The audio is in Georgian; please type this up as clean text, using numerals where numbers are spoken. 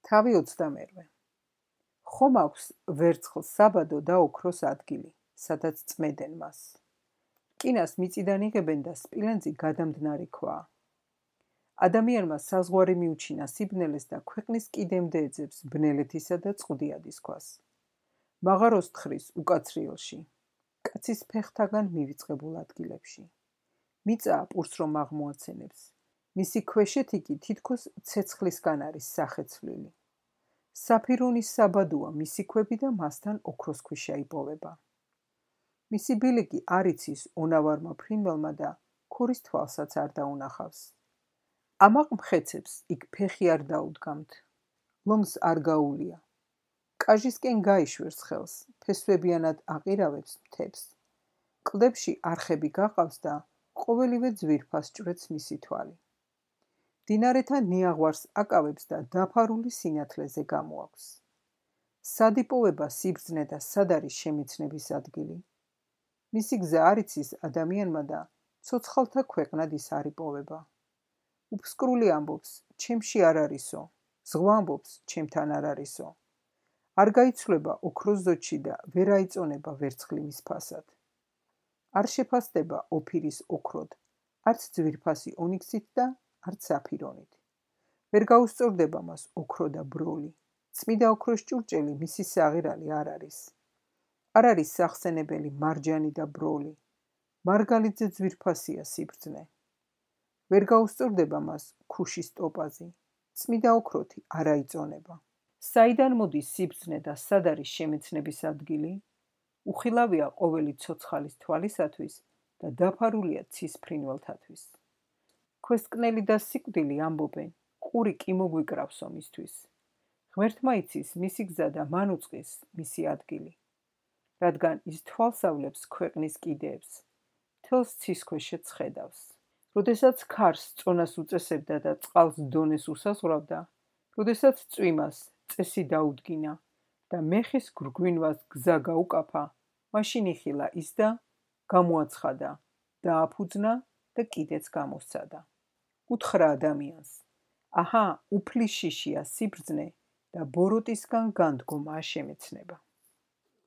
თავი 21. ხომ აქვს ვერცხლს საბადო და ოქროს ადგილი, სადაც წმედენ მას. რკინას მიწიდან იღებენ და სპილენძი გადამდნარი ქვაა. ადამიანმა საზღვარი მიუჩინა სიბნელეს და ქვეყნის კიდემდე ეძებს ბნელეთისა და წყუდიადის ქვას. მაღაროს თხრის უკაცრიელში, კაცის ფეხთაგან მივიწყებულ ადგილებში. მიწა პურს რომ აღმოაცენებს, მისი ქვეშეთი კი თითქოს ცეცხლისგან არის სახეცვლილი. საფირონის საბადოა მისი ქვები და მასთან ოქროს ქვიშა იპოვება. მისი ბილიკი არ იცის ონავარმა ფრინველმა და ქურის თვალსაც არ დაუნახავს. ამაყ მხეცებს იქ ფეხი არ დაუდგამთ, ლომს არ გაუვლია. კაჟისკენ გაიშვერს ხელს, ფესვებიანად აყირავებს მთებს. კლდებში არხები გაყავს და ყოველივე ძვირფას ჭვრets მისი თვალი. მდინარეთა ნიაღვარს აკავებს და დაფარული სინათლეზე გამოაქვს. სად იპოვება სიბრძნე და სად არის შემეცნების ადგილი? მისი გზა არ იცის ადამიანმა და ცოცხალთა ქვეყნად ის არ იპოვება. უფსკრული ამბობს, ჩემში არ არისო, ზღვა ამბობს, ჩემთან არ არისო. არ გაიცვლება ოქროს ზოჩი და ვერ აიწონება ვერცხლი მის ფასად. არ შეფასდება ოფირის ოქროდ, არც ძვირფასი ონიქსით და არც საფირონით. ვერ გაუსწორდება მას ოქრო და ბროლი. წმიდა ოქროს ჭურჭელი მისი საღირალი არ არის. არ არის სახსენებელი მარჯანი და ბროლი. მარგალიძე ძვირფასია სიბრძნე. ვერ გაუსწორდება მას ქუშის ტოპაზი. წმიდა ოქროთი არ აიწონება. საიდან მოდის სიბრძნე და სად არის შემეცნების ადგილი? უხილავია ყოველი ცოცხალის თვალისათვის და დაფარულია ცის ფრინველთათვის. ქვესკნელი და სიკვდილი ამბობენ, ყური კი მოგვიკრავსო მისთვის. ღმერთმა იცის მისი გზა და მან უწყის მისი ადგილი. რადგან ის თვალსავლებს ქვეყნის კიდეებს, მთელს ცის ქვეშეც ხედავს. როდესაც ქარს წონას უწესებდა და წყალს დონეს უსაზღვრავდა, როდესაც წვიმას წესი დაუდგინა და მეხის გრგვინვას გზა გაუკაფა, მაშინ იხილა ის და გამოაცხადა, დააფუძნა და კიდეც გამოსცადა. უთხრა ადამიანს, აჰა, უფლის შიშია სიბრძნე და ბოროტისგან განდგომაა შემეცნება.